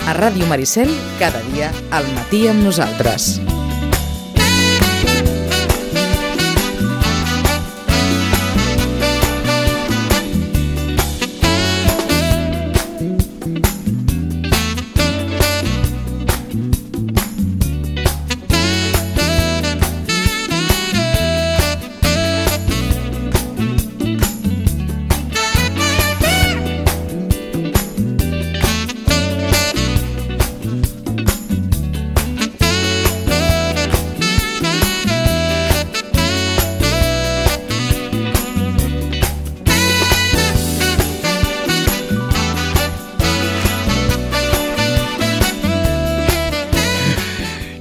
A Ràdio Maricel, cada dia al matí amb nosaltres.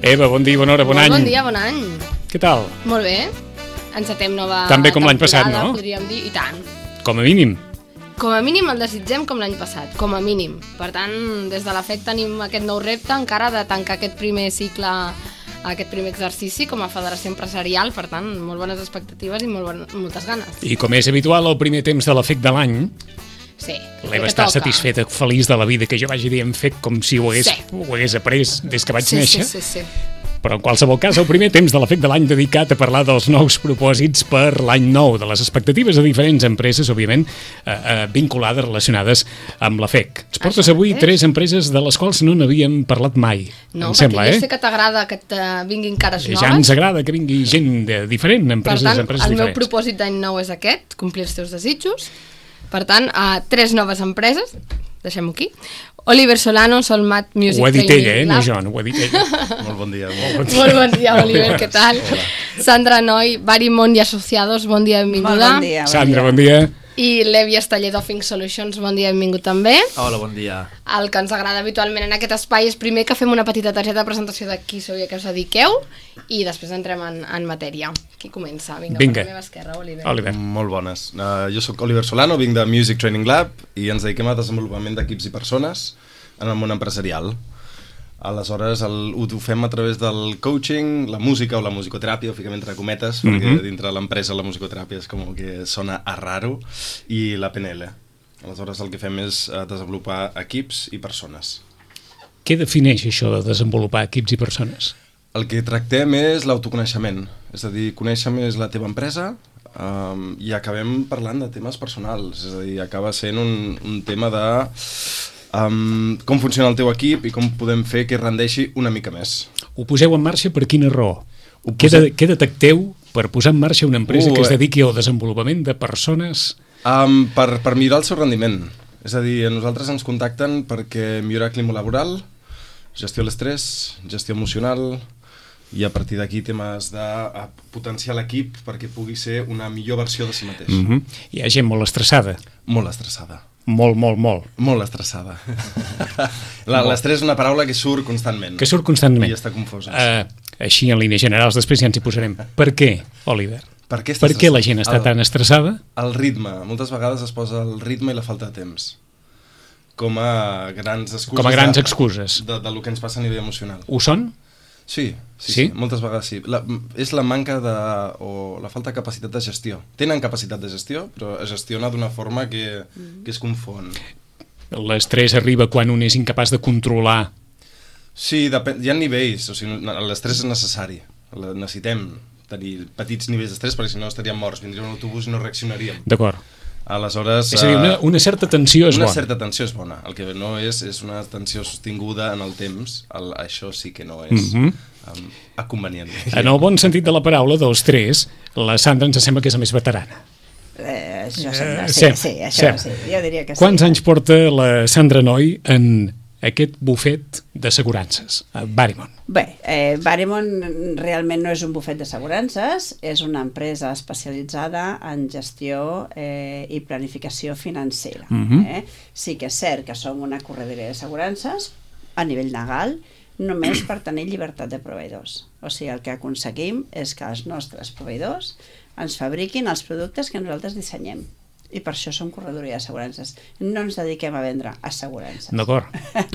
Eva, bon dia, bona hora, bon any. Bon dia, bon any. Què tal? Molt bé. Encetem nova Tan bé com l'any passat, no? Podríem dir, i tant. Com a mínim. Com a mínim el desitgem com l'any passat, com a mínim. Per tant, des de la FEC tenim aquest nou repte encara de tancar aquest primer cicle, aquest primer exercici com a federació empresarial. Per tant, molt bones expectatives i moltes ganes. I com és habitual, el primer temps de la FEC de l'any, sí, l'Eva està satisfeta, feliç de la vida, que jo vagi dient FEC com si ho hagués après des que vaig néixer. Sí. Però en qualsevol cas, el primer temps de la FEC de l'any dedicat a parlar dels nous propòsits per l'any nou, de les expectatives de diferents empreses, òbviament, vinculades, relacionades amb la FEC. Ens portes avui 3 empreses de les quals no n'havíem parlat mai, no, em sembla, jo sé que t'agrada que vinguin cares noves. Ja ens agrada que vingui gent diferent, empreses diferents. Per tant, el meu propòsit d'any nou és aquest, complir els teus desitjos. Per tant, 3 noves empreses, deixem-ho aquí. Oliver Solano, Solmat Music Training Lab. Ho ha dit ella, no jo, no ho ha dit ella. Molt bon dia. Molt bon dia, Oliver, què tal? Hola. Sandra Noy, Barimon i Associados, bon dia, benvinguda. Bon dia. Sandra, bon dia. I Levi Esteller d'Offing Solutions, bon dia, benvingut també. Hola, bon dia. El que ens agrada habitualment en aquest espai és primer que fem una petita targeta de presentació de qui sou i a què us dediqueu i després entrem en matèria. Qui comença? Vinga. Per la meva esquerra, Oliver. Molt bones. Jo sóc Oliver Solano, vinc de Music Training Lab i ens dediquem a desenvolupament d'equips i persones en el món empresarial. Aleshores, ho fem a través del coaching, la música o la musicoteràpia, ho fiquem entre cometes, perquè dintre l'empresa la musicoteràpia és com que sona a raro, i la PNL. Aleshores, el que fem és desenvolupar equips i persones. Què defineix això de desenvolupar equips i persones? El que tractem és l'autoconeixement, és a dir, conèixer més la teva empresa i acabem parlant de temes personals, és a dir, acaba sent un tema de com funciona el teu equip i com podem fer que rendeixi una mica més. Ho poseu en marxa per quina raó? Què detecteu per posar en marxa una empresa que es dediqui al desenvolupament de persones? Per millorar el seu rendiment. És a dir, a nosaltres ens contacten perquè millorar el clima laboral, gestió de l'estrès, gestió emocional, i a partir d'aquí temes de potenciar l'equip perquè pugui ser una millor versió de si mateix. Hi ha gent molt estressada. Molt estressada. Molt. Molt estressada. L'estrès és una paraula que surt constantment. I està confosa. Així, en línies generals, després ja ens hi posarem. Per què, Oliver? Per què la gent està tan estressada? El ritme. Moltes vegades es posa el ritme i la falta de temps com a grans excuses. De lo que ens passa a nivell emocional. Ho són? Sí, moltes vegades sí. És la manca o la falta de capacitat de gestió. Tenen capacitat de gestió, però es gestiona d'una forma que es confon. L'estrès arriba quan un és incapaç de controlar. Sí, hi ha nivells. O sigui, l'estrès és necessari. Necessitem tenir petits nivells d'estrès perquè si no estaríem morts. Vindria un autobús i no reaccionaríem. D'acord. Aleshores, és a dir, una certa tensió és bona. Una certa tensió és bona. El que no és una tensió sostinguda en el temps. Això sí que no és convenient. En el bon sentit de la paraula, dels 3, la Sandra ens sembla que és la més veterana. Això sembla, sí, això sí, jo diria que sí. Quants anys porta la Sandra Noy en aquest bufet d'assegurances, Barimon? Bé, Barimon realment no és un bufet d'assegurances, és una empresa especialitzada en gestió i planificació financera. Sí que és cert que som una corredoria d'assegurances a nivell legal, només per tenir llibertat de proveïdors. O sigui, el que aconseguim és que els nostres proveïdors ens fabriquin els productes que nosaltres dissenyem. I per això som corredoria d'assegurances. No ens dediquem a vendre assegurances. D'acord.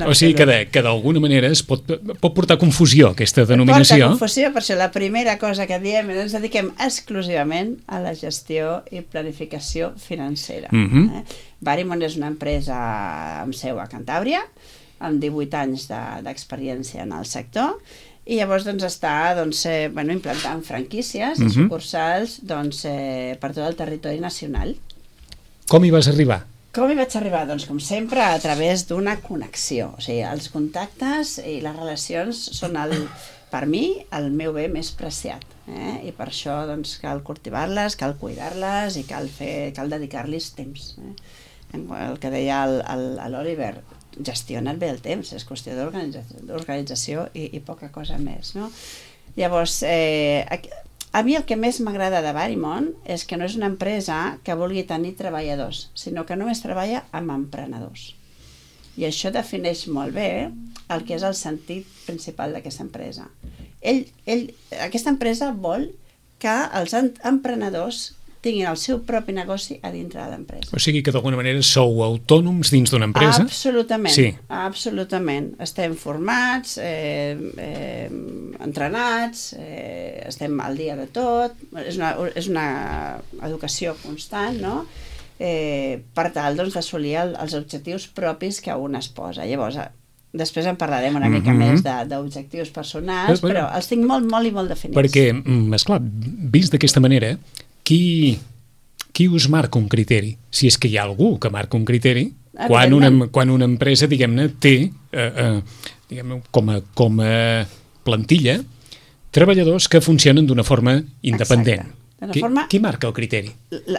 O sigui que d'alguna manera es pot portar confusió aquesta denominació. Porta confusió, per això la primera cosa que diem és que ens dediquem exclusivament a la gestió i planificació financera. Barimon és una empresa amb seu a Cantàbria, amb 18 anys d'experiència en el sector, i llavors està implantant franquícies i sucursals per tot el territori nacional. Com hi vas arribar? Com hi vaig arribar? Doncs, com sempre, a través d'una connexió. O sigui, els contactes i les relacions són, per mi, el meu bé més preciat. I per això cal cultivar-les, cal cuidar-les i cal dedicar-los temps. El que deia l'Oliver, gestiona't bé el temps, és qüestió d'organització i poca cosa més. No? Llavors, a mi el que més m'agrada de Varimon és que no és una empresa que vulgui tenir treballadors, sinó que només treballa amb emprenedors. I això defineix molt bé el que és el sentit principal d'aquesta empresa. Aquesta empresa vol que els emprenedors tinguin el seu propi negoci a dintre de l'empresa. O sigui que d'alguna manera sou autònoms dins d'una empresa? Absolutament, sí. Absolutament. Estem formats, entrenats, estem al dia de tot, és una educació constant, no? Per tal d'assolir els objectius propis que un es posa. Llavors, després en parlarem una mica més d'objectius personals, però els tinc molt, molt i molt definits. Perquè, esclar, vist d'aquesta manera, qui us marca un criteri? Si és que hi ha algú que marca un criteri, quan una empresa, diguem-ne, té com a plantilla treballadors que funcionen d'una forma independent. Qui marca el criteri?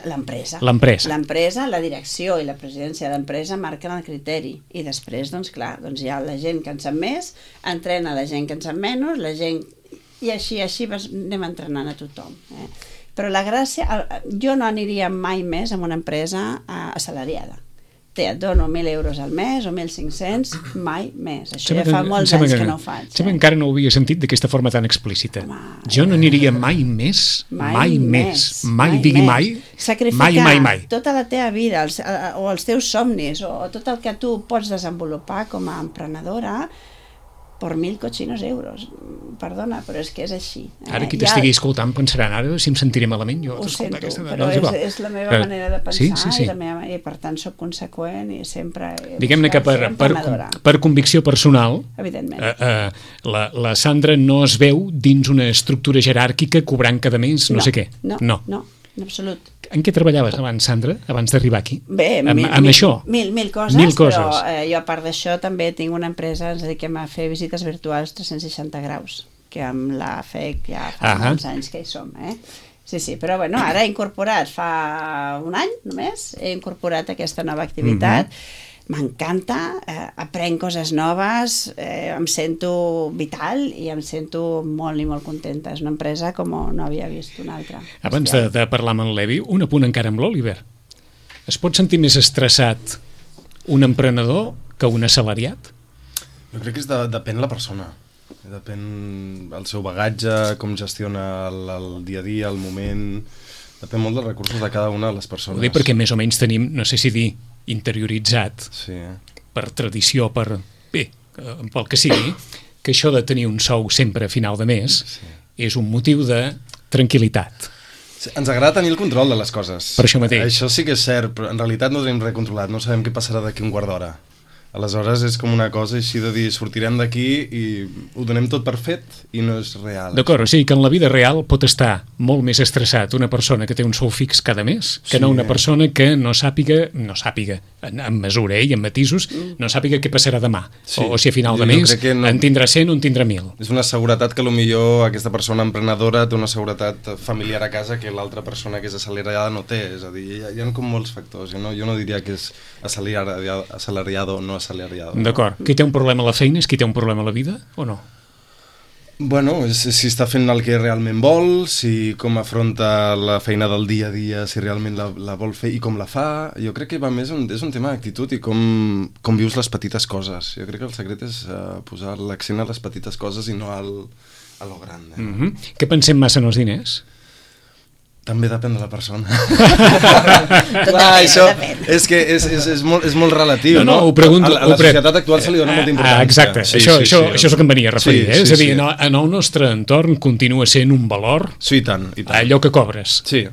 L'empresa. L'empresa, la direcció i la presidència de l'empresa marquen el criteri. I després, hi ha la gent que en sap més, entrena la gent que en sap menys, i així anem entrenant a tothom. Però la gràcia, jo no aniria mai més a una empresa assalariada. Et dono 1.000 euros al mes o 1.500, mai més. Això ja fa molts anys que no ho faig. Encara no ho havia sentit d'aquesta forma tan explícita. Jo no aniria mai més, mai digui mai, sacrificar tota la teva vida o els teus somnis o tot el que tu pots desenvolupar com a emprenedora per 1.000 cochinos euros. Perdona, però és que és així. Ara qui t'estigui escoltant pensaran, ara si em sentiré malament jo. Ho sento, però és la meva manera de pensar i per tant soc conseqüent i sempre... Diguem-ne que per convicció personal, la Sandra no es veu dins una estructura jeràrquica cobrant cada mes no sé què. No, en absolut. En què treballaves abans, Sandra, abans d'arribar aquí? Bé, amb això? Mil coses, però jo a part d'això també tinc una empresa, ens dediquem a fer visites virtuals 360 graus, que amb la FEC ja fa molts anys que hi som, Sí, però ara he incorporat, fa un any només, he incorporat aquesta nova activitat. M'encanta, aprenc coses noves, em sento vital i em sento molt i molt contenta. És una empresa com no havia vist una altra. Abans de parlar amb en Levi, un apunt encara amb l'Oliver. Es pot sentir més estressat un emprenedor que un assalariat? Jo crec que depèn la persona. Depèn el seu bagatge, com gestiona el dia a dia, el moment... Depèn molt dels recursos de cada una de les persones. Ho dic perquè més o menys tenim, no sé si dir, interioritzat per tradició, pel que sigui, que això de tenir un sou sempre a final de mes és un motiu de tranquil·litat. Ens agrada tenir el control de les coses. Per això mateix. Això sí que és cert, però en realitat no tenim res controlat, no sabem què passarà d'aquí un quart d'hora. Aleshores és com una cosa així de dir sortirem d'aquí i ho donem tot per fet i no és real. D'acord, o sigui que en la vida real pot estar molt més estressat una persona que té un sou fix cada mes que no una persona que no sàpiga en mesura i en matisos, no sàpiga què passarà demà o si a final de mes en tindrà 100 o en tindrà 1.000. És una seguretat que potser aquesta persona emprenedora té una seguretat familiar a casa que l'altra persona que és assalariada no té, és a dir, hi ha com molts factors, jo no diria que és assalariado o no assalariado. D'acord. Qui té un problema a la feina és qui té un problema a la vida o no? Bueno, si està fent el que realment vol, si com afronta la feina del dia a dia, si realment la vol fer i com la fa. Jo crec que va més és un tema d'actitud i com vius les petites coses. Jo crec que el secret és posar l'accent a les petites coses i no a lo gran. Què pensem massa en els diners? També depèn de la persona. Això és que és molt relatiu, no? Ho pregunto. A la societat actual se li dona molta importància. Exacte, això és el que em venia a referir. És a dir, en el nostre entorn continua sent un valor allò que cobres. Sí.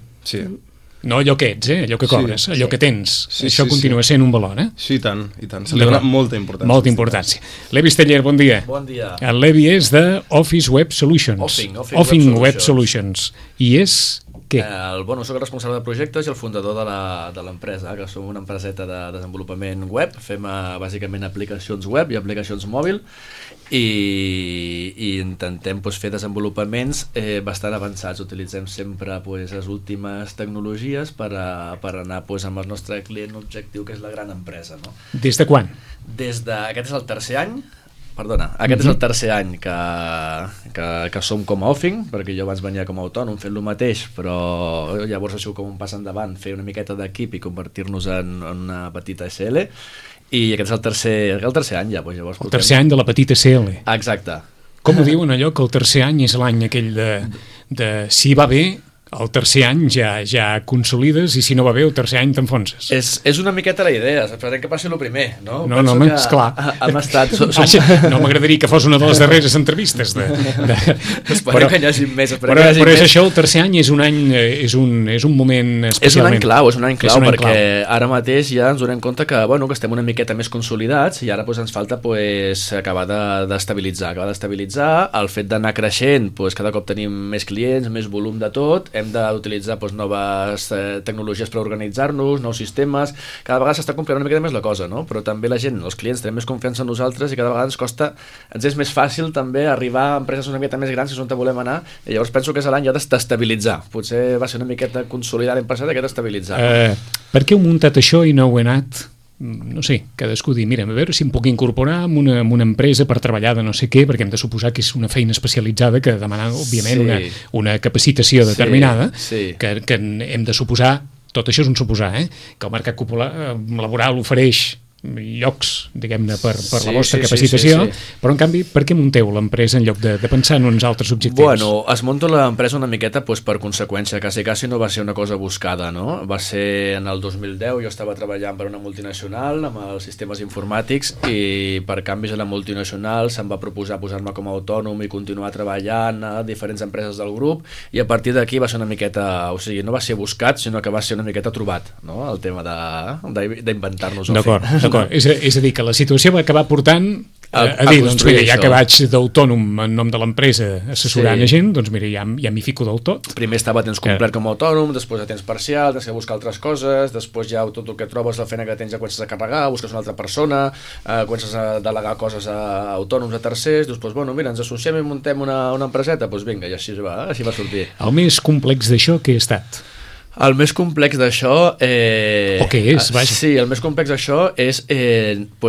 No allò que ets, allò que cobres, allò que tens. Això continua sent un valor, Sí, i tant, i tant. Se li dona molta importància. Molta importància. Levi Steller, bon dia. Bon dia. El Levi és de Office Web Solutions. Offing Web Solutions. I és... què? Soc el responsable de projectes i el fundador de l'empresa, que som una empreseta de desenvolupament web. Fem bàsicament aplicacions web i aplicacions mòbil i intentem fer desenvolupaments bastant avançats. Utilitzem sempre les últimes tecnologies per anar amb el nostre client objectiu, que és la gran empresa. No? Des de quan? Aquest és el tercer any. Aquest és el tercer any que som com a Offing, perquè jo abans venia com a autònom fent el mateix, però llavors això com un pas endavant, fer una miqueta d'equip i convertir-nos en una petita SL, i aquest és el tercer any ja. Llavors el tercer any de la petita SL. Exacte. Com ho diuen allò, que el tercer any és l'any aquell de si va bé, el tercer any ja consolides, i si no va bé el tercer any t'enfonses. És una miqueta la idea, esperem que passi el primer, no? No, esclar. Hem estat... No m'agradaria que fos una de les darreres entrevistes. Esperem que hi hagi més. Però és això, el tercer any és un any, és un moment especialment... És un any clau, perquè ara mateix ja ens donem compte que estem una miqueta més consolidats i ara ens falta acabar d'estabilitzar. El fet d'anar creixent, cada cop tenim més clients, més volum de tot, hem d'utilitzar noves tecnologies per organitzar-nos, nous sistemes. Cada vegada s'està complicant una mica més la cosa, no? Però també la gent, els clients, tenen més confiança en nosaltres i cada vegada ens és més fàcil també arribar a empreses una miqueta més grans, que és on volem anar, i llavors penso que és l'any ja d'estabilitzar. Potser va ser una miqueta consolidar l'any passat, aquest d'estabilitzar. Per què heu muntat això i no heu anat... No sé, cadascú dir, mira, a veure si em puc incorporar en una empresa per treballar de no sé què, perquè hem de suposar que és una feina especialitzada que demana, òbviament, una capacitació determinada, que hem de suposar, tot això és un suposar, que el mercat laboral ofereix llocs, diguem-ne, per la vostra capacitació, però en canvi, per què munteu l'empresa en lloc de pensar en uns altres objectius? Es munta l'empresa una miqueta per conseqüència, quasi no va ser una cosa buscada, no? Va ser en el 2010, jo estava treballant per una multinacional amb els sistemes informàtics i per canvis a la multinacional se'm va proposar posar-me com a autònom i continuar treballant a diferents empreses del grup, i a partir d'aquí va ser una miqueta, o sigui, no va ser buscat, sinó que va ser una miqueta trobat, no? El tema d'inventar-nos el fet. D'acord, és a dir, que la situació va acabar portant a dir, doncs mira, ja que vaig d'autònom en nom de l'empresa assessorant a gent, doncs mira, ja m'hi fico del tot. Primer estava a temps complet com a autònom, després a temps parcial, tens que buscar altres coses, després ja tot el que trobes, la feina que tens ja comences a carregar, busques una altra persona, comences a delegar coses a autònoms, a tercers, dius, doncs mira, ens associem i muntem una empreseta, doncs vinga, i així va sortir. El més complex d'això què ha estat? El més complex d'això... O què és, vaja? Sí, el més complex d'això és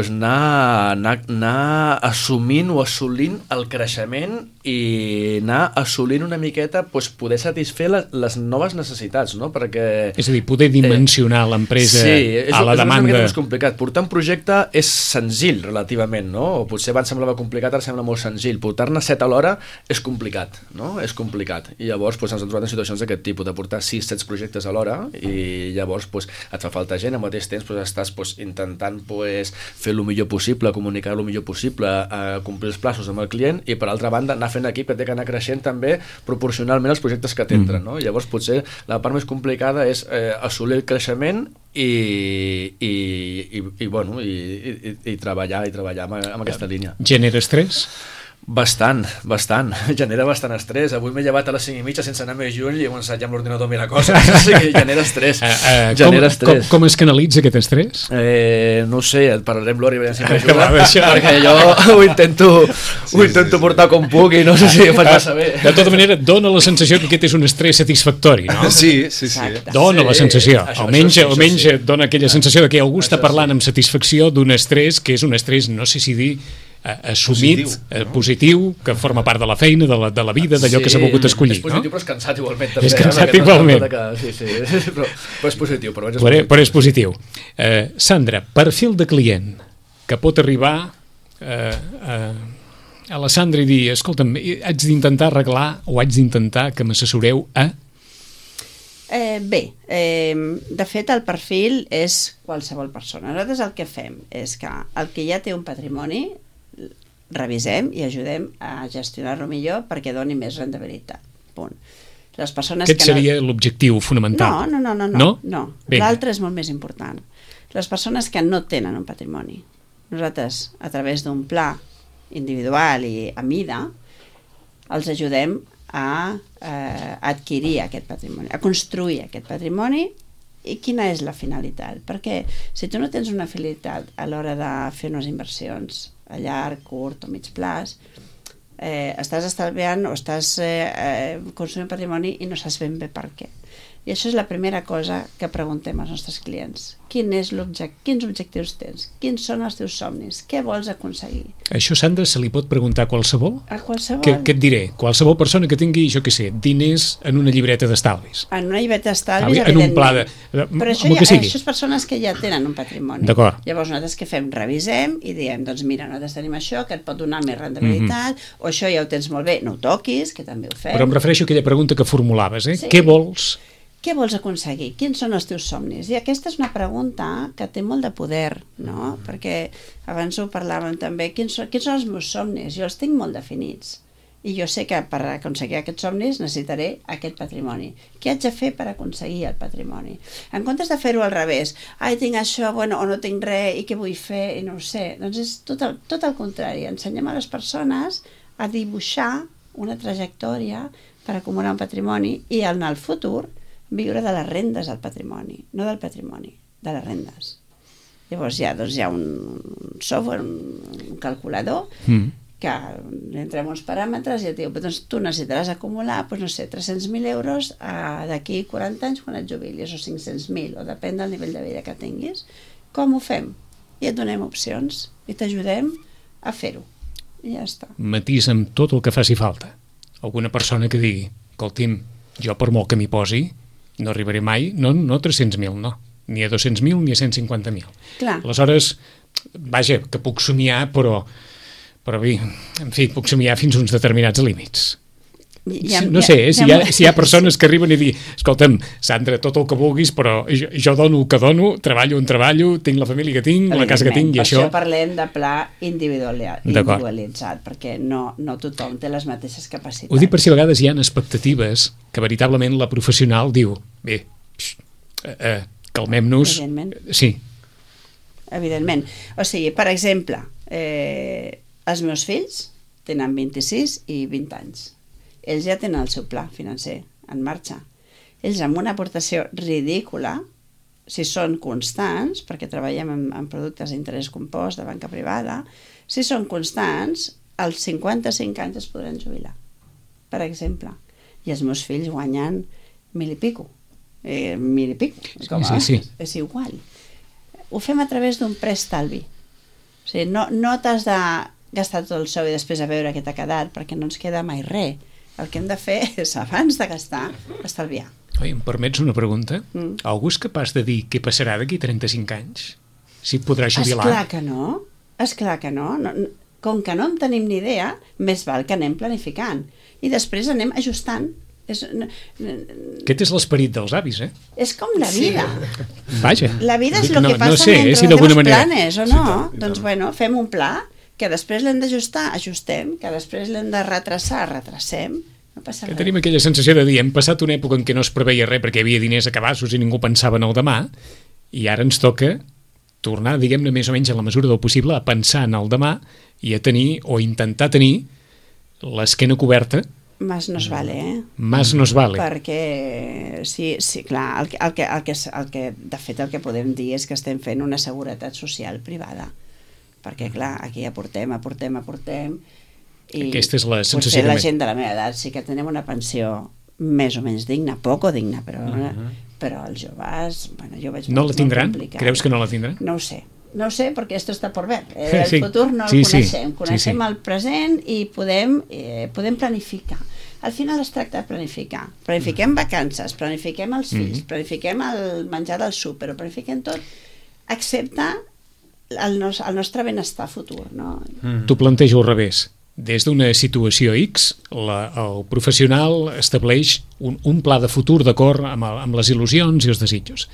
anar assumint o assolint el creixement i anar assolint una miqueta poder satisfer les noves necessitats, no? Perquè... És a dir, poder dimensionar l'empresa a la demanda... Sí, és una miqueta més complicat. Portar un projecte és senzill, relativament, no? O potser abans semblava complicat, ara sembla molt senzill. Portar-ne 7 a l'hora és complicat, no? És complicat. I llavors ens hem trobat en situacions d'aquest tipus, de portar 6-7 projectes a l'hora, i llavors et fa falta gent, al mateix temps estàs intentant fer el millor possible, comunicar el millor possible, complir els plaços amb el client, i per altra banda anar fent equip que té que anar creixent també proporcionalment als projectes que t'entren, no? Llavors potser la part més complicada és assolir el creixement i treballar amb aquesta línia. Genera estrès? Bastant. Genera bastant estrès. Avui m'he llevat a les 5:30 sense anar més lluny i he començat ja amb l'ordinador a mirar coses. O sigui, genera estrès. Com es canalitza aquest estrès? No ho sé, et parlaré amb l'Ori a veure si m'ajuda, perquè jo ho intento portar com puc i no sé si ho faig massa bé. De tota manera, dona la sensació que aquest és un estrès satisfactori, no? Sí. Dona la sensació. Almenys et dona aquella sensació de que algú està parlant amb satisfacció d'un estrès que és un estrès, no sé si dir assumit, positiu, que forma part de la feina, de la vida, d'allò que s'ha volgut escollir. És positiu, però és cansat igualment. També, és cansat igualment. Sí, però és positiu. Però és positiu. Sandra, perfil de client que pot arribar a la Sandra i dir, escolta'm, haig d'intentar arreglar o haig d'intentar que m'assessoreu a... De fet, el perfil és qualsevol persona. Nosaltres el que fem és que el que ja té un patrimoni revisem i ajudem a gestionar-lo millor perquè doni més rendibilitat. Punt. Les persones Aquest seria l'objectiu fonamental. No? L'altre és molt més important. Les persones que no tenen un patrimoni, nosaltres, a través d'un pla individual i a mida, els ajudem a adquirir aquest patrimoni, a construir aquest patrimoni. I quina és la finalitat? Perquè si tu no tens una finalitat a l'hora de fer unes inversions a llarg, curt o mig plaç, estàs estalviant o estàs consumint patrimoni i no saps ben bé per què. I això és la primera cosa que preguntem als nostres clients. Quins objectius tens? Quins són els teus somnis? Què vols aconseguir? Això, Sandra, se li pot preguntar a qualsevol? A qualsevol. Què et diré? Qualsevol persona que tingui, jo què sé, diners en una llibreta d'estalvis. En una llibreta d'estalvis, evidentment. En un pla de... Però això és persones que ja tenen un patrimoni. D'acord. Llavors nosaltres què fem? Revisem i diem, doncs mira, nosaltres tenim això que et pot donar més rendibilitat, o això ja ho tens molt bé, no ho toquis, que també ho fem. Però em refereixo a aquella pregunta que formulaves, Sí. Què vols? Què vols aconseguir? Quins són els teus somnis? I aquesta és una pregunta que té molt de poder, no? Perquè abans ho parlàvem també, quins són els meus somnis? Jo els tinc molt definits. I jo sé que per aconseguir aquests somnis necessitaré aquest patrimoni. Què haig de fer per aconseguir el patrimoni? En comptes de fer-ho al revés, tinc això, o no tinc res, i què vull fer, i no ho sé. Doncs és tot el contrari. Ensenyem a les persones a dibuixar una trajectòria per acumular un patrimoni i en el futur viure de les rendes del patrimoni, no del patrimoni, de les rendes. Llavors hi ha un software, un calculador, que entrem uns paràmetres i et diu, doncs tu necessitaràs acumular, no sé, 300.000 euros d'aquí 40 anys quan et jubilis, o 500.000, o depèn del nivell de vida que tinguis. Com ho fem? I et donem opcions i t'ajudem a fer-ho. I ja està. Matís amb tot el que faci falta. Alguna persona que digui, escolti'm, jo per molt que m'hi posi, no arribaré mai, no 300.000, no, ni a 200.000 ni a 150.000. Clar. Aleshores, vaja, que puc somiar, però bé, en fi, puc somiar fins a uns determinats límits. No sé, si hi ha persones que arriben i diuen, escolta'm, Sandra, tot el que vulguis, però jo dono el que dono, treballo on treballo, tinc la família que tinc, la casa que tinc, i això... Per això parlem de pla individualitzat, perquè no tothom té les mateixes capacitats. Ho dic per si a vegades hi ha expectatives que veritablement la professional diu, bé, calmem-nos... Evidentment. Sí. Evidentment. O sigui, per exemple, els meus fills tenen 26 i 20 anys. Ells ja tenen el seu pla financer en marxa. Ells amb una aportació ridícula, si són constants, perquè treballem en productes d'interès compost de banca privada, si són constants, als 55 anys es podran jubilar, per exemple. I els meus fills guanyen 1.000 i pico. 1.000 i pico. Sí. És igual. Ho fem a través d'un preestalvi. O sigui, no t'has de gastar tot el sou i després a veure què t'ha quedat, perquè no ens queda mai res. El que hem de fer és, abans de gastar, estalviar. Oi, em permets una pregunta? Algú és capaç de dir què passarà d'aquí 35 anys? Si et podrà jubilar? Esclar que no. Com que no en tenim ni idea, més val que anem planificant. I després anem ajustant. Aquest és l'esperit dels avis, És com la vida. Vaja. La vida és el que passa entre els teus planes, o no? Doncs bueno, fem un pla que després l'hem d'ajustar, ajustem, que després l'hem de retrasar, retracem, no passa res. Tenim aquella sensació de dir, hem passat una època en què no es preveia res perquè hi havia diners a cabassos i ningú pensava en el demà, i ara ens toca tornar, diguem-ne, més o menys en la mesura del possible, a pensar en el demà i a tenir, o intentar tenir, l'esquena coberta. Más nos vale, Más nos vale. Perquè, sí, clar, de fet el que podem dir és que estem fent una seguretat social privada. Perquè, clar, aquí aportem, i aquesta és la sensació potser la gent de la meva edat sí que tenim una pensió més o menys digna, poc digna, però els joves, jo veig no la tindran? Creus que no la tindran? No ho sé, perquè esto está por ver. El futur no el coneixem. Coneixem el present i podem planificar. Al final es tracta de planificar. Planifiquem vacances, planifiquem els fills, planifiquem el menjar del súper, ho planifiquem tot, excepte el nostre benestar futur, no? T'ho plantejo al revés. Des d'una situació X, el professional estableix un pla de futur d'acord amb les il·lusions i els desitjos.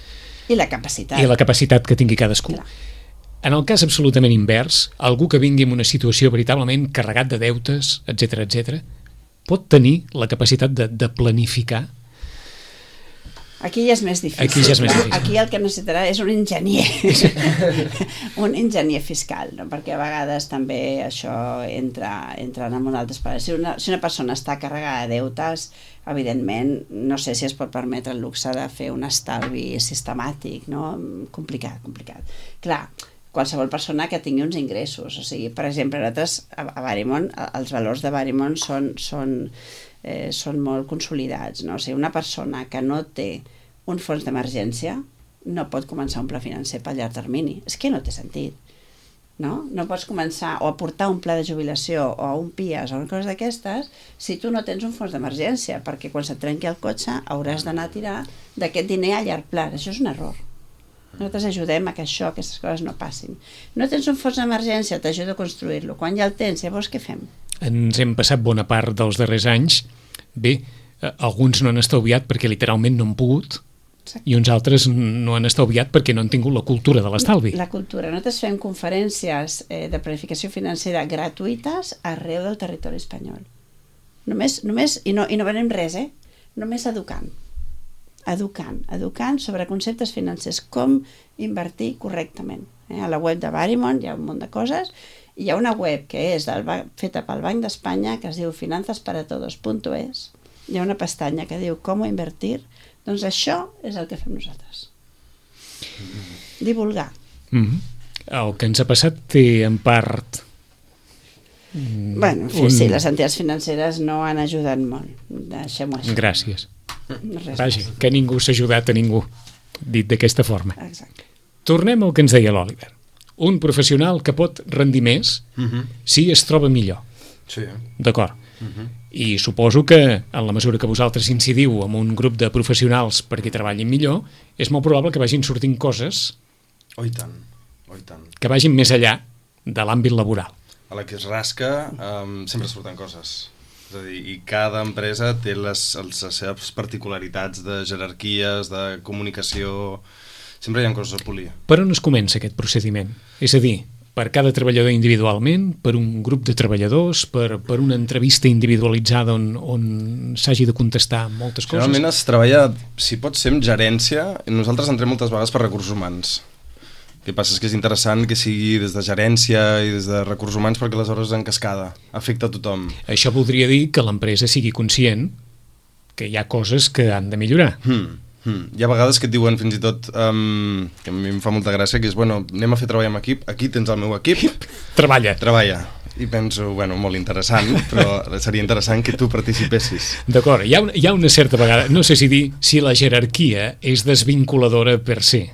I la capacitat. I la capacitat que tingui cadascú. Clar. En el cas absolutament invers, algú que vingui en una situació veritablement carregat de deutes, etc, pot tenir la capacitat de planificar? Aquí ja és més difícil. Aquí el que necessitarà és un enginyer. Un enginyer fiscal, no? Perquè a vegades també això entra en un altre espais. Si una persona està carregada de deutes, evidentment, no sé si es pot permetre el luxe de fer un estalvi sistemàtic, no? Complicat. Clar, qualsevol persona que tingui uns ingressos, o sigui, per exemple, nosaltres a Verimon, els valors de Verimon són molt consolidats, no? O sigui, una persona que no té un fons d'emergència no pot començar un pla financer pel llarg termini. És que no té sentit, no? No pots començar o aportar un pla de jubilació o un PIAS o una cosa d'aquestes si tu no tens un fons d'emergència, perquè quan se't trenqui el cotxe hauràs d'anar a tirar d'aquest diner a llarg pla. Això és un error. Nosaltres ajudem a que aquestes coses no passin. No tens un fons d'emergència, t'ajudo a construir-lo. Quan ja el tens, llavors què fem? Ens hem passat bona part dels darrers anys. Bé, alguns no han estalviat perquè literalment no han pogut. Exacte. I uns altres no han estalviat perquè no han tingut la cultura de l'estalvi. La cultura. Nosaltres fem conferències de planificació financera gratuïtes arreu del territori espanyol. Només i no venem res, només educant sobre conceptes financers, com invertir correctament. A la web de Verimon hi ha un munt de coses, i hi ha una web que és feta pel Banc d'Espanya que es diu finanzasparatodos.es. Hi ha una pestanya que diu com invertir. Doncs això és el que fem nosaltres. Divulgar. El que ens ha passat té en part... Bueno, sí, les entitats financeres no han ajudat molt. Deixem-ho així. Gràcies. Vaja, que ningú s'ha ajudat a ningú, dit d'aquesta forma. Exacte. Tornem al que ens deia l'Oliver. Un professional que pot rendir més si es troba millor. Sí. D'acord. I suposo que, en la mesura que vosaltres incidiu en un grup de professionals perquè treballin millor, és molt probable que vagin sortint coses I tant. que vagin més enllà de l'àmbit laboral. A la que es rasca sempre surten coses. És a dir, i cada empresa té les seves particularitats de jerarquies, de comunicació... Sempre hi ha coses a polir. Per on es comença aquest procediment? És a dir, per cada treballador individualment, per un grup de treballadors, per una entrevista individualitzada on s'hagi de contestar moltes coses? Generalment es treballa, si pot ser, amb gerència. Nosaltres entrem moltes vegades per recursos humans. El que passa és que és interessant que sigui des de gerència i des de recursos humans perquè aleshores en cascada afecta a tothom. Això voldria dir que l'empresa sigui conscient que hi ha coses que han de millorar. Hi ha vegades que et diuen fins i tot, que a mi em fa molta gràcia, que és, bueno, anem a fer treball amb equip, aquí tens el meu equip. Treballa. I penso, bueno, molt interessant, però seria interessant que tu participessis. D'acord, hi ha una certa vegada, no sé si dir si la jerarquia és desvinculadora per se.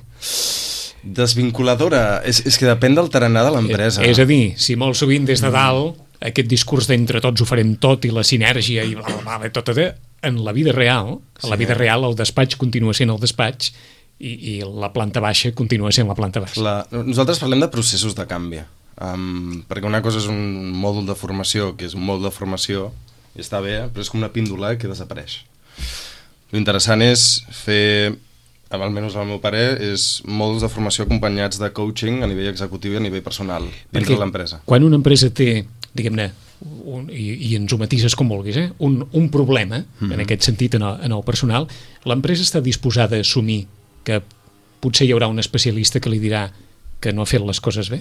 Desvinculadora? És que depèn del tarannà de l'empresa. És a dir, si molt sovint des de dalt, aquest discurs d'entre tots ho farem tot i la sinergia i bla, bla, bla, tot, en la vida real, el despatx continua sent el despatx i la planta baixa continua sent la planta baixa. Nosaltres parlem de processos de canvi, perquè una cosa és un mòdul de formació, que és un mòdul de formació, i està bé, però és com una píndola que desapareix. L'interessant és fer, almenys al meu parer, és mòduls de formació acompanyats de coaching a nivell executiu i a nivell personal, dins de l'empresa. Quan una empresa té, diguem-ne, i ens ho matises com vulguis, un problema, en aquest sentit, en el personal, l'empresa està disposada a assumir que potser hi haurà un especialista que li dirà que no ha fet les coses bé?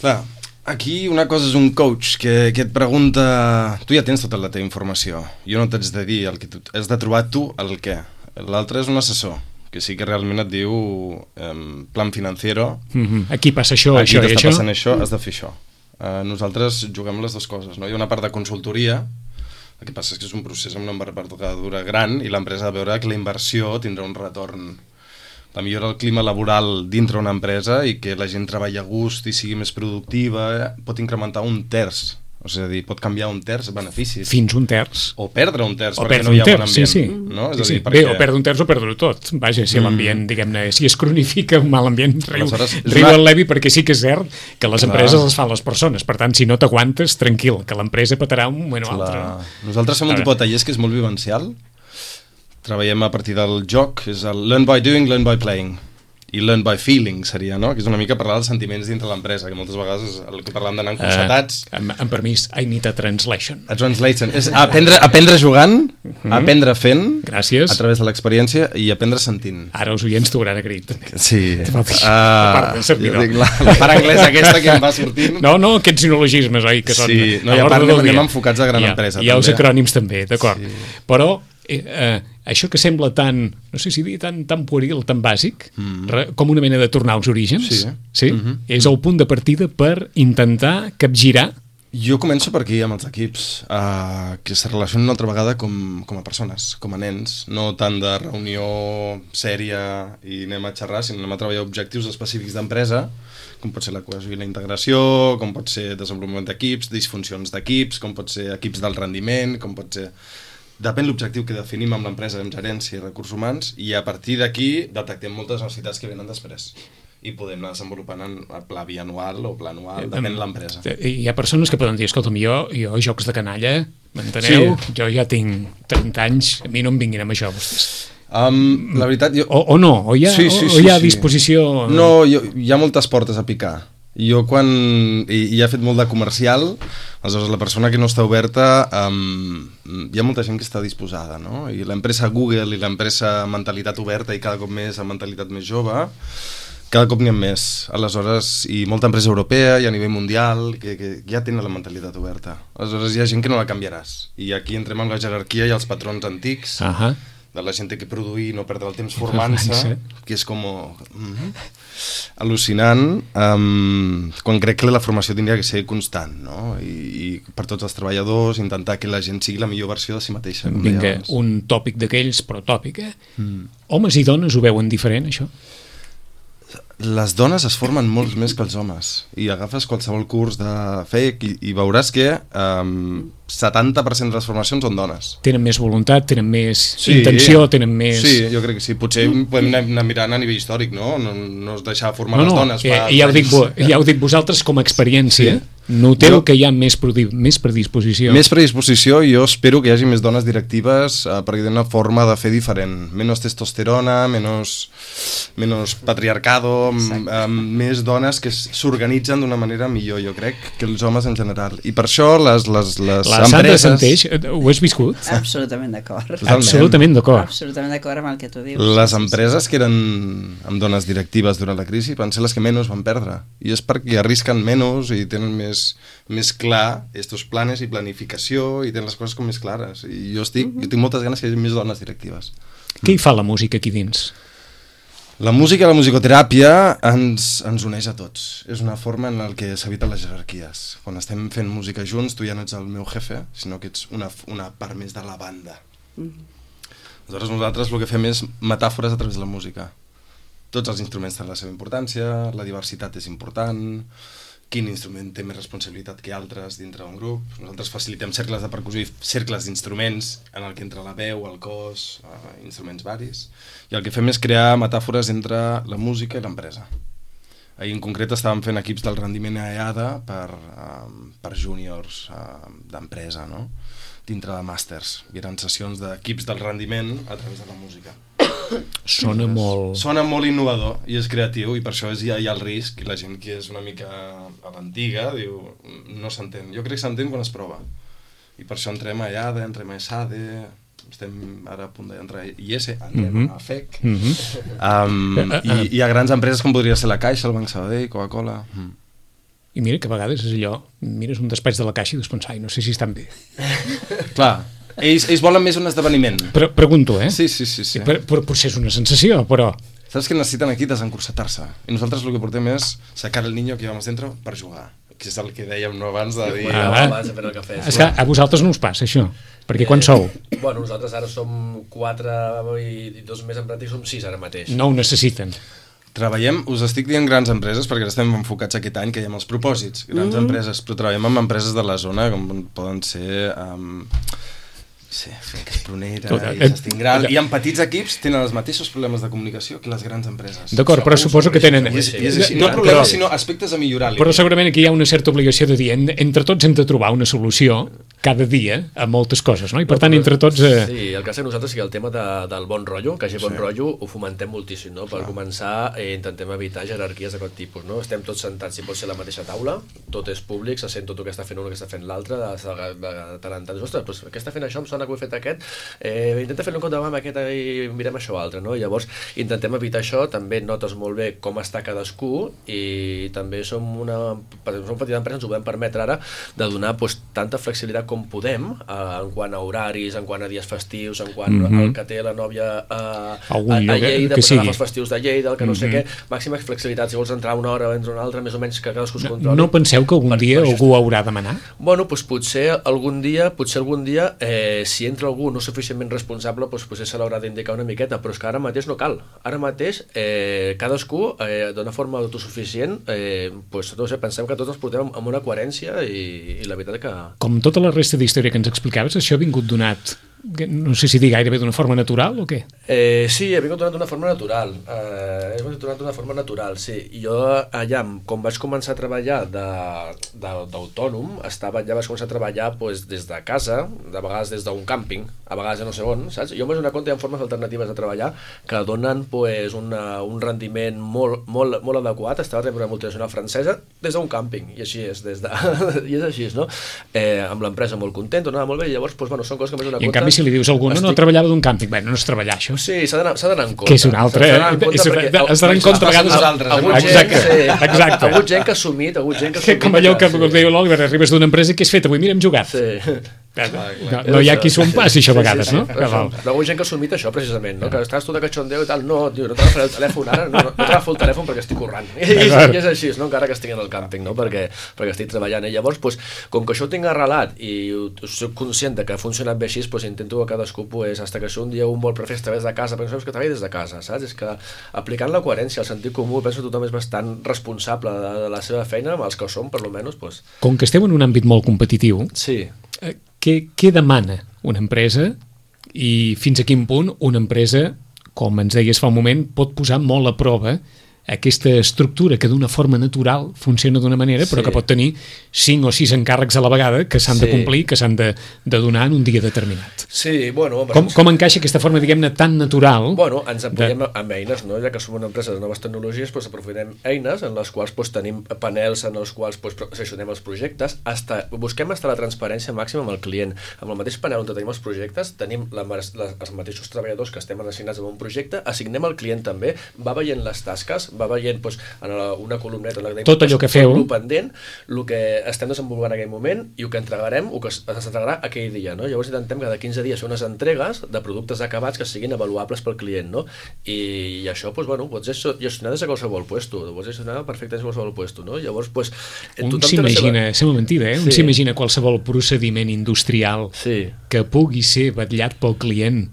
Clar, aquí una cosa és un coach que et pregunta... Tu ja tens tota la teva informació, jo no t'haig de dir el que tu... Has de trobar tu el què. L'altre és un assessor, que sí que realment et diu plan financiero. Aquí passa això, això i això. Aquí t'està passant això, has de fer això. Nosaltres juguem les dues coses, no? Hi ha una part de consultoria, el que passa és que és un procés amb una envergadura gran i l'empresa ha de veure que la inversió tindrà un retorn. La millora del clima laboral dintre una empresa i que la gent treballi a gust i sigui més productiva pot incrementar 1/3. O sigui, pot canviar 1/3 beneficis. Fins 1/3. O perdre 1/3 o perquè no hi ha bon ambient. Sí. No? Sí. Bé, o perdre 1/3 o perdre-ho tot. Vaja, si l'ambient, diguem-ne, si es cronifica un mal ambient, riu el Levi, perquè sí que és cert que les empreses les fan les persones. Per tant, si no t'aguantes, tranquil, que l'empresa petarà un moment o altre. Nosaltres fem un tipus de tallers que és molt vivencial. Treballem a partir del joc, és el learn by doing, learn by playing. i learn by feeling seria, no? Que és una mica parlar dels sentiments dintre l'empresa, que moltes vegades és el que parlàvem d'anar constatats. Amb permís, I need a translation. A translation. És aprendre jugant, aprendre fent, gràcies, a través de l'experiència, i aprendre sentint. Ara els oients t'hauran agraït. Sí. Part del servidor. La part anglesa aquesta que em va sortint. No, aquests sinologismes, oi, que són... Sí, no, i a part anem enfocats a gran empresa. I els acrònims també, d'acord. Però això que sembla tan, no sé si dir, tan pueril, tan bàsic, com una mena de tornar als orígens, és el punt de partida per intentar capgirar. Jo començo per aquí, amb els equips, que se relacionen una altra vegada com a persones, com a nens, no tant de reunió sèria i anem a xerrar, sinó anem a treballar objectius específics d'empresa, com pot ser la cohesió i la integració, com pot ser desenvolupament d'equips, disfuncions d'equips, com pot ser equips del rendiment, com pot ser... Depèn l'objectiu que definim amb l'empresa, amb gerència i recursos humans, i a partir d'aquí detectem moltes necessitats que venen després. I podem anar desenvolupant en pla bianual o pla anual, depèn de l'empresa. Hi ha persones que poden dir, escolta'm, jo jocs de canalla, m'enteneu? Sí. Jo ja tinc 30 anys, a mi no em vinguin amb això, vostès. La veritat... O no, o hi ha disposició... No, hi ha moltes portes a picar. Jo quan hi ha fet molt de comercial, aleshores la persona que no està oberta, hi ha molta gent que està disposada, no? I l'empresa Google i l'empresa mentalitat oberta i cada cop més amb mentalitat més jove, cada cop n'hi ha més. Aleshores, i molta empresa europea i a nivell mundial que ja tenen la mentalitat oberta. Aleshores hi ha gent que no la canviaràs. I aquí entrem amb la jerarquia i els patrons antics, de la gent que produir i no perdre el temps formant-se, que és com... al·lucinant, quan crec que la formació tindria que ser constant, no? I per tots els treballadors intentar que la gent sigui la millor versió de si mateixa. Vinga, un tòpic d'aquells, però tòpic, Homes i dones ho veuen diferent, això? Les dones es formen molts més que els homes, i agafes qualsevol curs de FEC i veuràs que 70% de les formacions són dones. Tenen més voluntat, tenen més intenció, tenen més... Sí, jo crec que sí. Potser podem anar mirant a nivell històric, no? No es deixar formar les dones. Ja ho dic vosaltres com a experiència. Noteu que hi ha més predisposició. Més predisposició, i jo espero que hi hagi més dones directives perquè tenen una forma de fer diferent. Menys testosterona, menys patriarcado, més dones que s'organitzen d'una manera millor, jo crec, que els homes en general. I per això les la Sandra Santeix, ho has viscut? Absolutament d'acord. Absolutament d'acord. Absolutament d'acord amb el que tu dius. Les empreses que eren amb dones directives durant la crisi van ser les que menys van perdre. I és perquè arrisquen menys i tenen més clar estos planes i planificació i tenen les coses com més clares. I jo tinc moltes ganes que hi hagi més dones directives. Què hi fa la música aquí dins? La música i la musicoteràpia ens uneix a tots. És una forma en la que s'eviten les jerarquies. Quan estem fent música junts, tu ja no ets el meu jefe, sinó que ets una part més de la banda. Aleshores nosaltres el que fem és metàfores a través de la música. Tots els instruments tenen la seva importància, la diversitat és important, quin instrument té més responsabilitat que altres dintre d'un grup. Nosaltres facilitem cercles de percussió i cercles d'instruments en el que entra la veu, el cos, instruments varis. I el que fem és crear metàfores entre la música i l'empresa. Ahir en concret estàvem fent equips del rendiment a EADA per júniors d'empresa, no? Dintre de màsters. I eren sessions d'equips del rendiment a través de la música. Sona molt innovador i és creatiu, i per això hi ha el risc, i la gent que és una mica a l'antiga diu, no s'entén. Jo crec que s'entén quan es prova, i per això entrem a EADA, entrem a ESADE, estem ara a punt d'entrar a IES, entrem a FEC, i hi ha grans empreses com podria ser la Caixa, el Banc Sabadell, Coca-Cola. I mira que a vegades és allò, mires un despatx de la Caixa i dius, ai, no sé si estan bé. Clar, ells volen més un esdeveniment. Però pregunto, Sí. Potser és una sensació, però... Saps que necessiten aquí desencursetar-se? I nosaltres el que portem és sacar el niño que llevamos dentro per jugar. Que és el que dèiem abans de dir... Abans de fer el cafè. És que a vosaltres no us passa, això. Perquè quan sou? Bueno, nosaltres ara som 4 i 2 més en pràctica, som 6 ara mateix. No ho necessiten. Treballem, us estic dient grans empreses perquè estem enfocats aquest any que hi ha els propòsits, grans empreses, però treballem amb empreses de la zona com poden ser Sí, que és prunera i s'estingral. I en petits equips tenen els mateixos problemes de comunicació que les grans empreses. D'acord, però suposo que tenen... No problemes, sinó aspectes a millorar. Però segurament aquí hi ha una certa obligació de dir entre tots hem de trobar una solució cada dia a moltes coses, no? I per tant, entre tots... Sí, el cas de nosaltres és que el tema del bon rotllo, que hagi bon rotllo, ho fomentem moltíssim, no? Per començar, intentem evitar jerarquies de tot tipus, no? Estem tots sentats, si pot ser a la mateixa taula, tot és públic, se sent tot el que està fent un, el que està fent l'altre, de tant en tant. Ostres, doncs, què està fent això? Em sona que ho he fet aquest, intenta fer-lo en compte amb aquest i mirem això altre, no? Llavors intentem evitar això, també notes molt bé com està cadascú i també som una petita empresa, ens ho podem permetre ara de donar tanta flexibilitat com podem en quant a horaris, en quant a dies festius, en quant al que té la nòvia a Lleida, pues agafar els festius de Lleida, el que no sé què, màxima flexibilitat, si vols entrar una hora o entrar una altra, més o menys que cadascú es controli. No penseu que algun dia algú haurà de manar? Bueno, doncs potser algun dia si entra algú no suficientment responsable, doncs potser se l'haurà d'indicar una miqueta, però és que ara mateix no cal. Ara mateix cadascú d'una forma autosuficient, pensem que tots ens portem amb una coherència i la veritat que... Com tota la resta d'història que ens explicaves, això ha vingut donat, no sé si dir gairebé d'una forma natural o què? Sí, ha vingut donat d'una forma natural. Sí. Jo allà, com vaig començar a treballar d'autònom, vaig començar a treballar des de casa, de vegades des d'un càmping, a vegades no sé on, saps? Jo m'he donat compte que hi ha formes alternatives de treballar que donen un rendiment molt adequat. Estava treballant per una multinacional francesa des d'un càmping, i així és, i és així, no? Amb l'empresa molt content, anava molt bé, i llavors, són coses que m'he donat compte. Si li dius a algú, no treballava d'un càmping, bé, no és treballar això. Sí, s'ha d'anar en compte. Que és una altra, has d'anar en compte a vegades. Exacte. Ha hagut gent que ha assumit. Com allò que diu l'Oliver, arribes d'una empresa i què has fet avui? Mira, hem jugat. Sí. No hi ha qui s'ho empassi això a vegades, no? Però hi ha gent que ha assumit això precisament, que estàs tu de cachondeo i tal, no t'agafaré el telèfon ara, no t'agafo el telèfon perquè estic currant, i és així, encara que estic en el càmping, perquè estic treballant, i llavors com que això ho tinc arrelat i soc conscient que ha funcionat bé així, intento que cadascú, hasta que un dia un vol prefer estar des de casa, perquè no saps que treballi des de casa, saps? És que aplicant la coherència, el sentit comú, penso que tothom és bastant responsable de la seva feina, els que ho som, per almenys. Com que esteu en un àmbit molt competitiu, sí. Què demana una empresa i fins a quin punt una empresa, com ens deies fa un moment, pot posar molt a prova aquesta estructura que d'una forma natural funciona d'una manera, però que pot tenir 5 o 6 encàrrecs a la vegada que s'han de complir, que s'han de donar en un dia determinat. Sí, bueno... Com encaixa aquesta forma, diguem-ne, tan natural? Bueno, ens apoyem amb eines, no? Ja que som una empresa de noves tecnologies, aprofitem eines en les quals tenim panels en els quals seleccionem els projectes, busquem la transparència màxima amb el client. Amb el mateix panel on tenim els projectes, tenim els mateixos treballadors que estem assignats a un projecte, assignem al client també, va veient les tasques, va veient en una columneta tot allò que feu, el pendent, el que estem desenvolupant en aquell moment i el que entregarem, el que s'entregarà aquell dia, no? Llavors intentem cada 15 dies fer unes entregues de productes acabats que siguin avaluables pel client, no? I això, pots gestionar des de qualsevol puesto, pots gestionar perfectament des de qualsevol puesto, no? Llavors, un s'imagina, sembla mentida, un s'imagina qualsevol procediment industrial que pugui ser vetllat pel client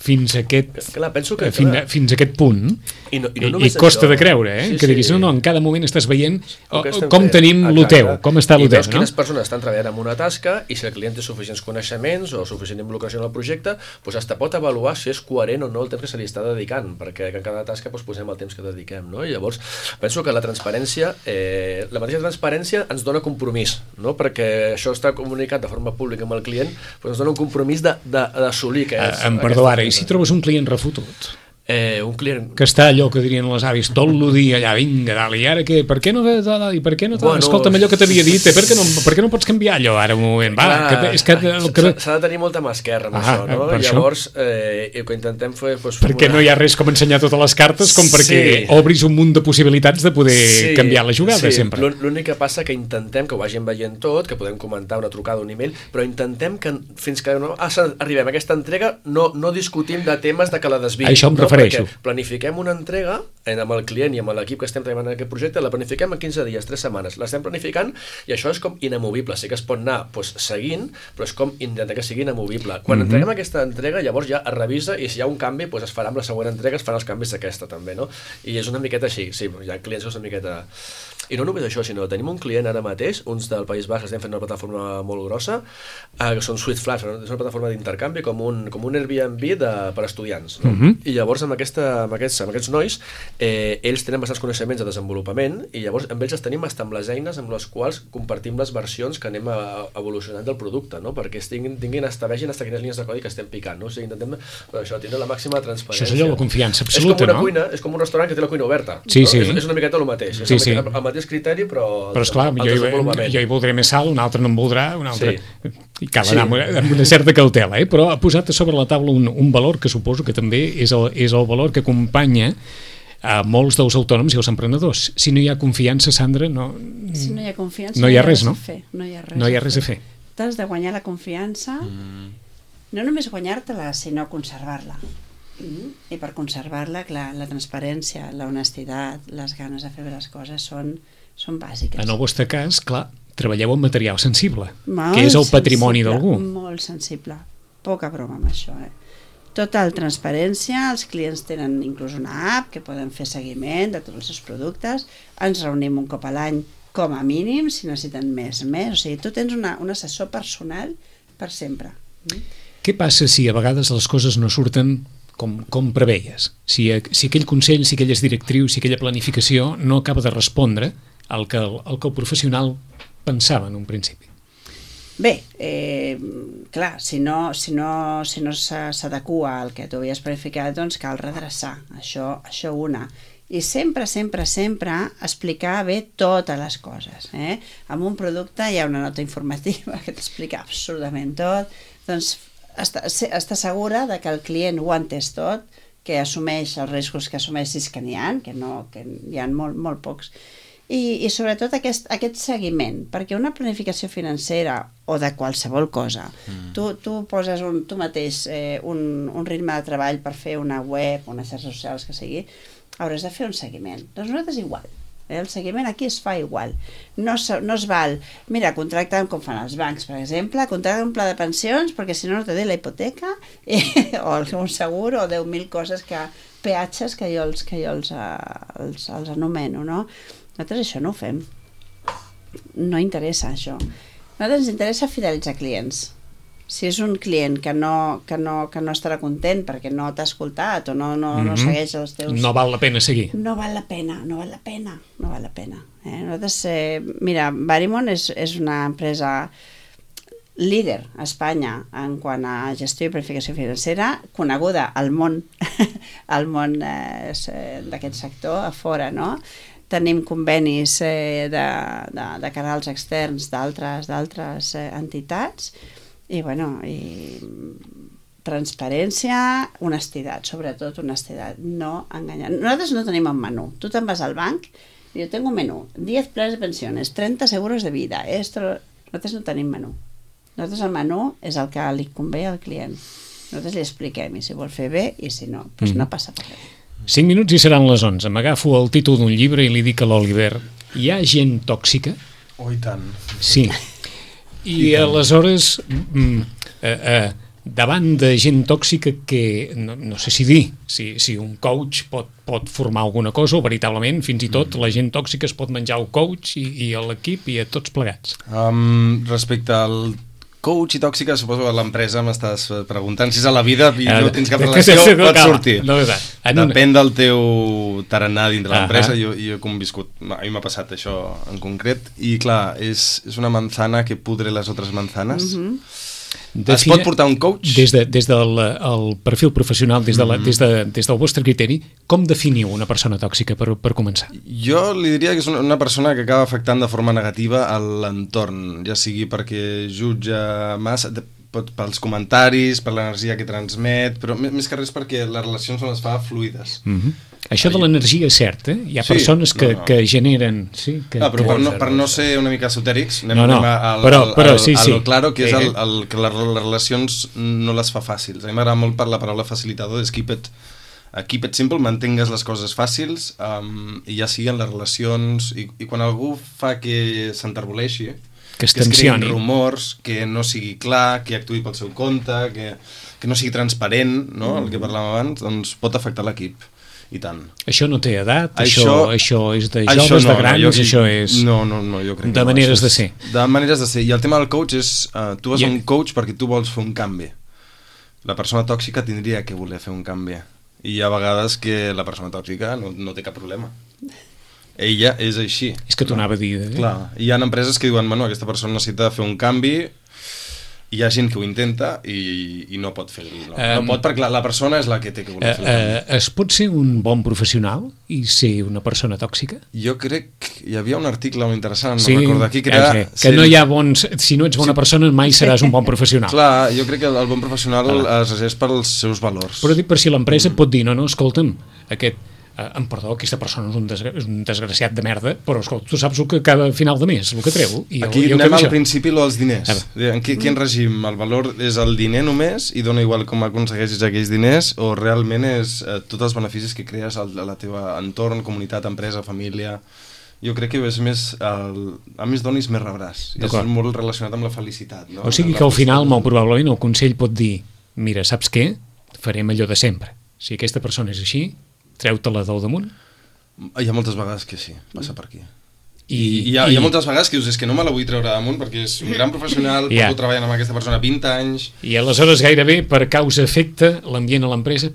fins a aquest punt i costa de creure, que diguis, no, en cada moment estàs veient com tenim lo teu, com està lo teu, no? Quines persones estan treballant en una tasca i si el client té suficients coneixements o suficient involucració en el projecte, hasta pot avaluar si és coherent o no el temps que se li està dedicant, perquè en cada tasca posem el temps que dediquem, no? I llavors penso que la transparència, la mateixa transparència ens dona compromís, no? Perquè això està comunicat de forma pública amb el client, ens dona un compromís d'assolir que és... Perdó, ara, i si trobes un client refotut? Un client... Que està allò que dirien les avis, tot el dia allà, vinga, dalt, i ara què? Per què no... Escolta'm allò que t'havia dit, per què no pots canviar allò ara un moment? S'ha de tenir molta mà esquerra amb això, no? Llavors, el que intentem fer... Perquè no hi ha res com ensenyar totes les cartes com perquè obris un munt de possibilitats de poder canviar la jugada, sempre. L'únic que passa que intentem que ho vagin veient tot, que podem comentar una trucada, un email, però intentem que fins que arribem a aquesta entrega no discutim de temes de que la desviïm. Això em refereixo. Perquè planifiquem una entrega amb el client i amb l'equip que estem treballant en aquest projecte, la planifiquem en 15 dies, 3 setmanes, l'estem planificant i això és com inamovible, sí que es pot anar seguint, però és com intentar que sigui inamovible. Quan entreguem aquesta entrega, llavors ja es revisa i si hi ha un canvi, es farà amb la següent entrega, es faran els canvis d'aquesta també, no? I és una miqueta així, sí, hi ha clients que és una miqueta... I no només això, sinó tenim un client ara mateix, uns del País Basc, estem fent una plataforma molt grossa, que són Sweet Flaps, és una plataforma d'intercanvi com un Airbnb per estudiants. No? I llavors amb aquests nois, ells tenen bastants coneixements de desenvolupament i llavors amb ells els tenim amb les eines amb les quals compartim les versions que anem evolucionant del producte, no? Perquè vegin hasta quines línies de codi que estem picant. No? O sigui, intentem això, tindre la màxima transparència. Això és allò, la confiança absoluta, no? És com un restaurant que té la cuina oberta. Sí, no? sí. És una miqueta el mateix. Sí, és el mateix criteri, però esclar, jo hi voldré més sal, un altre no en voldrà, un altre... Sí. I cal anar amb una certa cautela, però ha posat a sobre la taula un valor que suposo que també és el valor que acompanya a molts dels autònoms i els emprenedors. Si no hi ha confiança, Sandra, si no hi ha confiança, no hi ha res, no? No hi ha res a fer. T'has de guanyar la confiança, no només guanyar-te-la, sinó conservar-la. I per conservar-la, clar, la transparència, la honestitat, les ganes de fer les coses són bàsiques. En el vostre cas, clar, treballeu amb material sensible, que és el patrimoni d'algú. Molt sensible, poca broma amb això. Total transparència, els clients tenen inclús una app que poden fer seguiment de tots els seus productes, ens reunim un cop a l'any com a mínim, si necessiten més, o sigui, tu tens un assessor personal per sempre. Què passa si a vegades les coses no surten com preveies? Si aquell consell, si aquelles directrius, si aquella planificació no acaba de respondre al que el professional pensava en un principi. Bé, clar, si no s'adequa al que tu havies planificat, doncs cal redreçar, això una. I sempre explicar bé totes les coses. Amb un producte hi ha una nota informativa que t'explica absolutament tot, doncs està segura de que el client ho ha entès tot, que assumeix els riscos que assumeix, si és que n'hi ha, que hi ha molt pocs. I sobretot aquest seguiment, perquè una planificació financera o de qualsevol cosa, tu poses tu mateix un ritme de treball per fer una web, unes xarxes socials que sigui, hauràs de fer un seguiment. Doncs nosaltres igual. El seguiment aquí es fa igual. No es val, mira, contracten com fan els bancs, per exemple, contracten un pla de pensions perquè si no te té la hipoteca o un segur o 10.000 coses, peatges que jo els anomeno, no? Nosaltres això no ho fem. No interessa això. Nosaltres ens interessa fidelitzar clients. Si és un client que no estarà content perquè no t'ha escoltat o no segueix els teus... No val la pena seguir. No val la pena. Nosaltres, mira, Varimon és una empresa líder a Espanya en quant a gestió i planificació financera, coneguda al món d'aquest sector, a fora, no? Tenim convenis de canals externs d'altres entitats i transparència, honestitat, sobretot honestitat, no enganyar. Nosaltres no tenim un menú. Tu te'n vas al banc i jo tengo un menú, 10 plans de pensiones, 30 seguros de vida. Nosaltres no tenim menú. Nosaltres el menú és el que li convé al client. Nosaltres li expliquem i si vol fer bé i si no, doncs no passa per res. 5 minuts i seran les 11. M'agafo el títol d'un llibre i li dic a l'Oliver: hi ha gent tòxica? Oh, i tant. Sí. I aleshores, davant de gent tòxica que no sé si dir, si un coach pot formar alguna cosa o veritablement fins i tot la gent tòxica es pot menjar el coach i l'equip i a tots plegats. Respecte al coach i tòxica, suposo que a l'empresa m'estàs preguntant si és a la vida i no tens cap relació, pot sortir. Depèn del teu tarannà dintre l'empresa. Jo he conviscut, a mi m'ha passat això en concret, i clar, és una manzana que pudre les altres manzanes. Es pot portar un coach? Des del perfil professional, des del vostre criteri, com definiu una persona tòxica per començar? Jo li diria que és una persona que acaba afectant de forma negativa a l'entorn, ja sigui perquè jutja massa, pels comentaris, per l'energia que transmet, però més que res perquè les relacions no les fa fluides. Això de l'energia és cert, Hi ha persones que generen... Però per no ser una mica esotèrics, anem a lo claro, que és que les relacions no les fa fàcils. A mi m'agrada molt per la paraula facilitador, és keep it simple, mantingues les coses fàcils, i ja siguen les relacions, i quan algú fa que s'enterboleixi, que es creïn rumors, que no sigui clar, que actuï pel seu compte, que no sigui transparent, no? El que parlàvem abans, doncs pot afectar l'equip. I tant. Això no té edat? Això és de joves, de grans? Això és... No, jo crec que de maneres de ser. De maneres de ser. I el tema del coach és... tu vas a un coach perquè tu vols fer un canvi. La persona tòxica tindria que voler fer un canvi. I hi ha vegades que la persona tòxica no té cap problema. Ella és així. És que t'ho anava a dir. Clar, hi ha empreses que diuen, bueno, aquesta persona necessita fer un canvi, hi ha gent que ho intenta i no pot fer-ho. No pot perquè la persona és la que té que voler fer el canvi. Es pot ser un bon professional i ser una persona tòxica? Jo crec que hi havia un article molt interessant, no recordo aquí, que era... Que no hi ha bons... Si no ets bona persona mai seràs un bon professional. Clar, jo crec que el bon professional es regeix pels seus valors. Però dic per si l'empresa pot dir, no, escolta'm, perdó, aquesta persona és un desgraciat de merda, però escolta, tu saps el que cada final de mes, el que treu. Aquí anem al principi dels diners. En quin règim? El valor és el diner només i dona igual com aconsegueixis aquells diners o realment és tots els beneficis que crees a la teva entorn, comunitat, empresa, família... Jo crec que és més... A més donis, més rebràs. I és molt relacionat amb la felicitat. No? O sigui que al final, molt probablement, el Consell pot dir mira, saps què? Farem allò de sempre. Si aquesta persona és així, treu-te-la del damunt? Hi ha moltes vegades que sí, passa per aquí. I hi ha moltes vegades que dius, és que no me la vull treure damunt perquè és un gran professional, porto treballant amb aquesta persona 20 anys... I aleshores gairebé, per causa-efecte, l'ambient a l'empresa...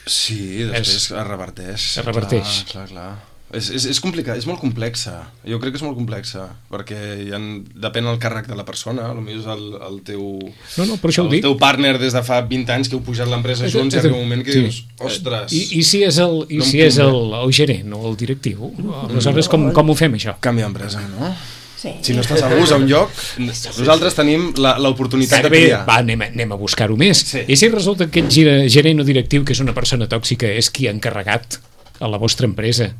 Sí, després es reverteix. Es reverteix. Clar. És complicat, és molt complexa. Jo crec que és molt complexa, perquè depèn del càrrec de la persona, potser és el teu... No, per això ho dic. El teu partner des de fa 20 anys que heu pujat l'empresa junts i arriba un moment que dius, ostres... I si és el gerent o el directiu? Aleshores, com ho fem, això? Canvia d'empresa, no? Sí. Si no estàs a gust a un lloc, nosaltres tenim l'oportunitat de triar. Va, anem a buscar-ho més. Sí. I si resulta que aquest gerent o directiu, que és una persona tòxica, és qui ha encarregat a la vostra empresa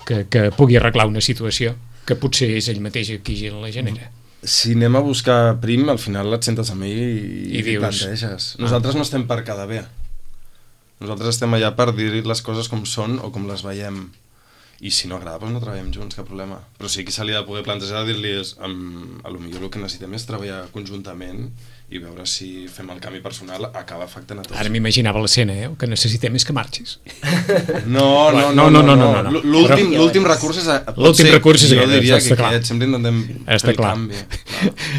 que pugui arreglar una situació que potser és ell mateix qui la genera? Si anem a buscar prim, al final et sentes amb ell i planteges. Nosaltres no estem per quedar bé. Nosaltres estem allà per dir les coses com són o com les veiem. I si no agrada, doncs no treballem junts, cap problema. Però sí que se li ha de poder plantejar dir-li potser el que necessitem és treballar conjuntament i veure si fem el canvi personal acaba afectant a tots. Ara m'imaginava l'escena, el que necessitem és que marxis. No. L'últim recurs és l'últim recurs és jo diria que aquest, sempre intentem fer el canvi.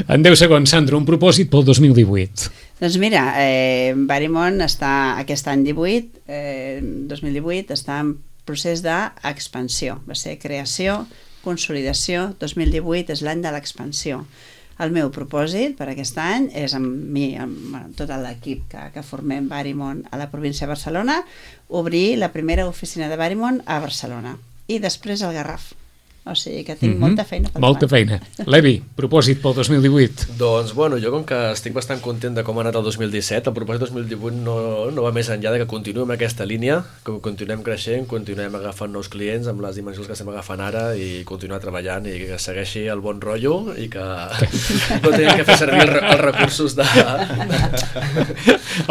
En 10 segons, Sandra, un propòsit pel 2018. Doncs mira, Verimon està aquest any 2018 està en procés d'expansió. Va ser creació, consolidació, 2018 és l'any de l'expansió. El meu propòsit per aquest any és amb mi, amb tot l'equip que formem Verimon a la província de Barcelona, obrir la primera oficina de Verimon a Barcelona i després al Garraf. O sigui que tinc molta feina. Molta feina. Levi, propòsit pel 2018? Doncs, bueno, jo com que estic bastant content de com ha anat el 2017, el propòsit 2018 no va més enllà de que continuem aquesta línia, que continuem creixent, continuem agafant nous clients amb les dimensions que estem agafant ara i continuar treballant i que segueixi el bon rotllo i que no tinguem que fer servir els recursos de...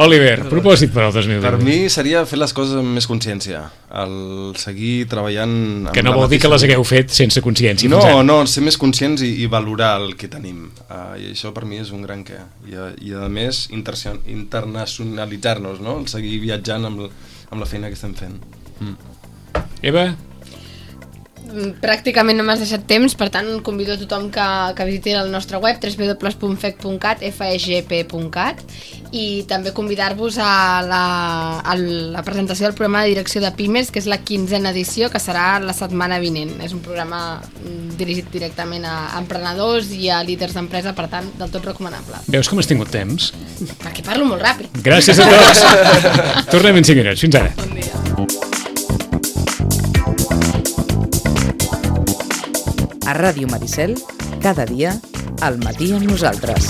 Oliver, propòsit per al 2018? Per mi seria fer les coses amb més consciència, el seguir treballant... Que no vol dir que les hagueu fet sense consciència. No, ser més conscients i valorar el que tenim. I això per mi és un gran què. I a més, internacionalitzar-nos, no? El seguir viatjant amb la feina que estem fent. Eva? Pràcticament no m'has deixat temps, per tant convido a tothom que visiti el nostre web www.feg.cat i també convidar-vos a la presentació del programa de direcció de Pimes, que és la 15a edició, que serà la setmana vinent. És un programa dirigit directament a emprenedors i a líders d'empresa, per tant, del tot recomanable. Veus com has tingut temps? Perquè parlo molt ràpid. Gràcies a tots. Tornem en 5 minuts. Fins ara. Bon dia. A Ràdio Maricel, cada dia, al matí amb nosaltres.